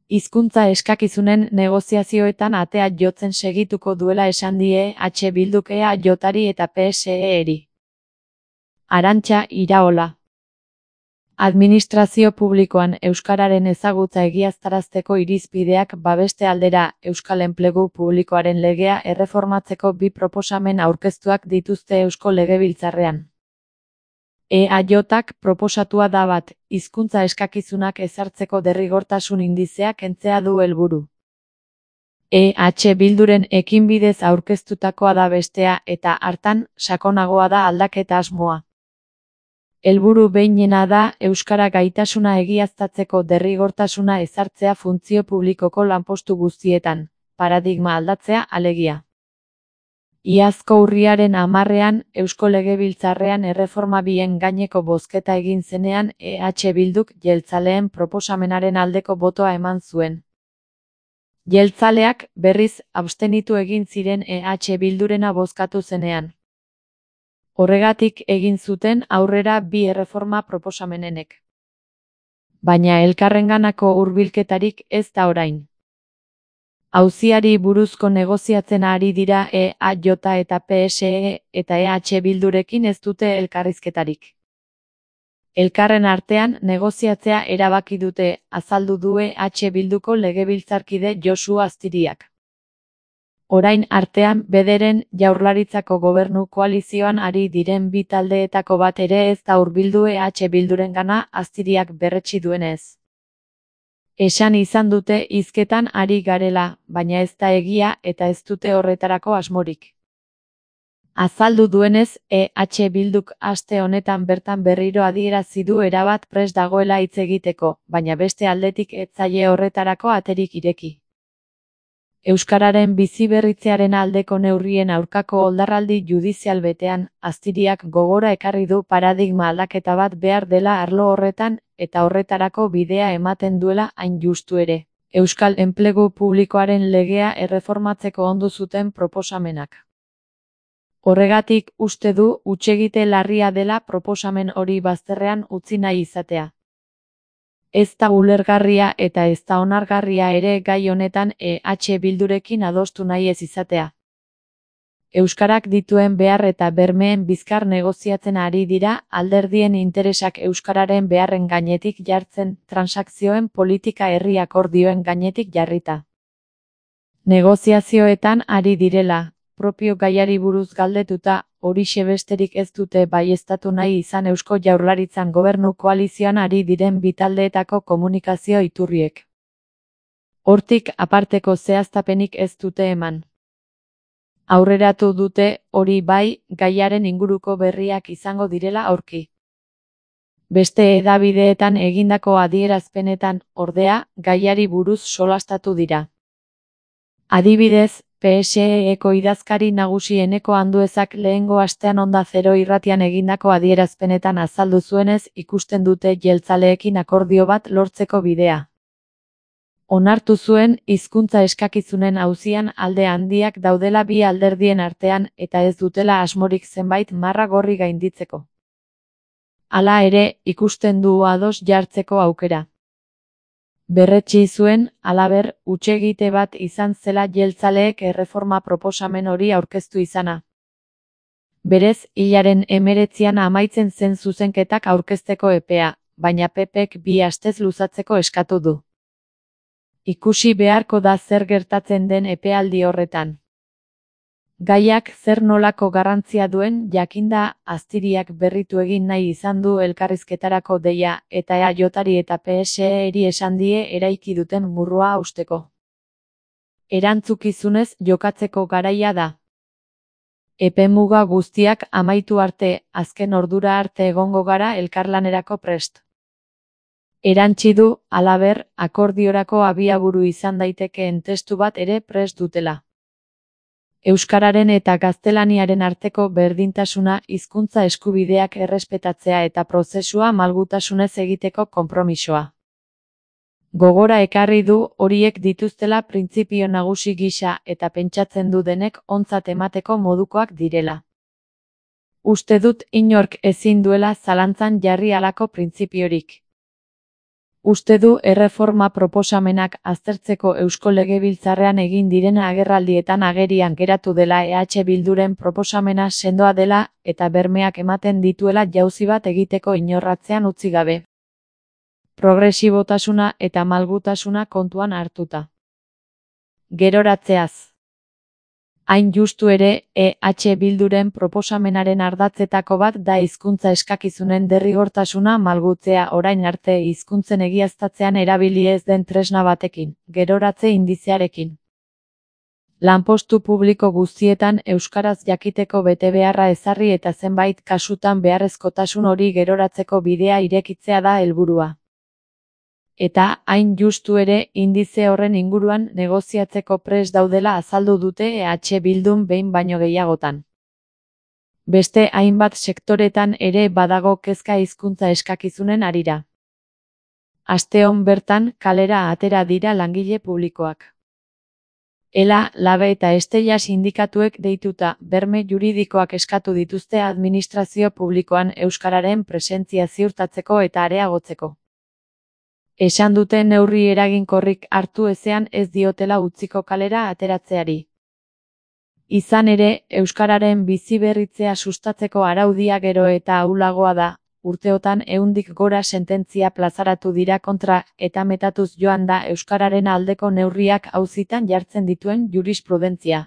Hizkuntza eskakizunen negoziazioetan atea jotzen segituko duela esan die Bilduk EAJari eta PSE-eri. Arantxa Iraola. Administrazio publikoan euskararen ezagutza egiaztarazteko irizpideak babeste aldera Euskal Enplegu Publikoaren legea erreformatzeko bi proposamen aurkeztuak dituzte Eusko Legebiltzarrean. EAJak proposatua da bat, hizkuntza eskakizunak ezartzeko derrigortasun indizea kentzea du helburu. Bilduren ekinbidez aurkeztutakoa da bestea eta hartan sakonagoa da aldaketa asmoa. Helburu behinena da euskara gaitasuna egiaztatzeko derrigortasuna ezartzea funtzio publikoko lanpostu guztietan, paradigma aldatzea alegia. Iazko urriaren 10ean Eusko Legebiltzarrean erreforma bien gaineko bozketa egin zenean Bilduk jeltzaleen proposamenaren aldeko botoa eman zuen. Jeltzaleak berriz abstenitu egin ziren Bildurena bozkatu zenean. Horregatik egin zuten aurrera bi erreforma proposamenenek. Baina elkarrenganako hurbilketarik ez da orain. Auziari buruzko negoziatzen ari dira EAJ eta PSE eta Bildurekin ez dute elkarrizketarik. Elkarren artean negoziatzea erabaki dute, azaldu du Bilduko legebiltzarkide Josu Aztiriak. Orain artean bederen Jaurlaritzako gobernu koalizioan ari diren bi taldeetako bat ere ez da hurbildu Bildurengana, Aztiriak berretsi duenez. Esan izan dute hizketan ari garela, baina ez da egia eta ez dute horretarako asmorik. Azaldu duenez, Bilduk aste honetan bertan berriro adierazi du erabat prest dagoela hitz egiteko, baina beste aldetik ez zaie horretarako aterik ireki. Euskararen biziberritzearen aldeko neurrien aurkako oldarraldi judizial betean, Aztiriak gogora ekarri du paradigma aldaketa bat behar dela arlo horretan, eta horretarako bidea ematen duela hain justu ere, Euskal Enplegu Publikoaren legea erreformatzeko ondu zuten proposamenak. Horregatik uste du hutsegite larria dela proposamen hori bazterrean utzi nahi izatea. Ez da ulergarria eta ez da onargarria ere gai honetan Bildurekin adostu nahi ez izatea. Euskarak dituen behar eta bermeen bizkar negoziatzen ari dira, alderdien interesak euskararen beharren gainetik jartzen, transakzioen politika herri akordioen gainetik jarrita. Negoziazioetan ari direla, propio gaiari buruz galdetuta, horixe besterik ez dute baieztatu nahi izan Eusko Jaurlaritzan gobernu koalizioan ari diren bi taldeetako komunikazio iturriek. Hortik aparteko zehaztapenik ez dute eman. Aurreratu dute, hori bai, gaiaren inguruko berriak izango direla aurki. Beste hedabideetan egindako adierazpenetan, ordea, gaiari buruz solastatu dira. Adibidez, PSE-eko idazkari nagusi Eneko Anduezak lehengo astean Onda Zero irratian egindako adierazpenetan azaldu zuenez ikusten dute jeltzaleekin akordio bat lortzeko bidea. Onartu zuen, hizkuntza eskakizunen auzian alde handiak daudela bi alderdien artean eta ez dutela asmorik zenbait marra gorri gainditzeko. Hala ere, ikusten du ados jartzeko aukera. Berretsi zuen, halaber, hutsegite bat izan zela jeltzaleek erreforma proposamen hori aurkeztu izana. Berez, hilaren 19an amaitzen zen zuzenketak aurkezteko epea, baina PPk 2 astez luzatzeko eskatu du. Ikusi beharko da zer gertatzen den epealdi horretan. Gaiak zer nolako garrantzia duen jakinda, Aztiriak berritu egin nahi izan du elkarrizketarako deia eta EAJari eta PSE-eri esan die eraiki duten murrua hausteko. Erantzukizunez jokatzeko garaia da. Epemuga guztiak amaitu arte, azken ordura arte egongo gara elkarlanerako prest. Erantsi du, halaber, akordiorako abiaburu izan daitekeen testu bat ere prest dutela. Euskararen eta gaztelaniaren arteko berdintasuna, hizkuntza eskubideak errespetatzea eta prozesua malgutasunez egiteko konpromisoa. Gogora ekarri du horiek dituztela printzipio nagusi gisa eta pentsatzen du denek ontzat emateko modukoak direla. Uste dut inork ezin duela zalantzan jarri halako printzipiorik. Uste du erreforma proposamenak aztertzeko Eusko Legebiltzarrean egin diren agerraldietan agerian geratu dela EH Bilduren proposamena sendoa dela eta bermeak ematen dituela jauzi bat egiteko inorratzean utzi gabe. Progresibotasuna eta malgutasuna kontuan hartuta. Geroratzeaz. Hain justu ere, EH Bilduren proposamenaren ardatzetako bat da hizkuntza eskakizunen derrigortasuna malgutzea orain arte hizkuntzen egiaztatzean erabili ez den tresna batekin, geroratze indizearekin. Lanpostu publiko guztietan euskaraz jakiteko betebeharra ezarri eta zenbait kasutan beharrezkotasun hori geroratzeko bidea irekitzea da helburua. Eta, hain justu ere, indize horren inguruan negoziatzeko prest daudela azaldu dute EH Bildun behin baino gehiagotan. Beste hainbat sektoretan ere badago kezka hizkuntza eskakizunen harira. Asteon bertan kalera atera dira langile publikoak. ELA, LABE eta Estella sindikatuek deituta berme juridikoak eskatu dituzte administrazio publikoan euskararen presentzia ziurtatzeko eta areagotzeko. Esan dute neurri eraginkorrik hartu ezean ez diotela utziko kalera ateratzeari. Izan ere, euskararen biziberritzea sustatzeko araudia gero eta ahulagoa da, urteotan 100tik gora sententzia plazaratu dira kontra eta metatuz joan da euskararen aldeko neurriak auzitan jartzen dituen jurisprudentzia.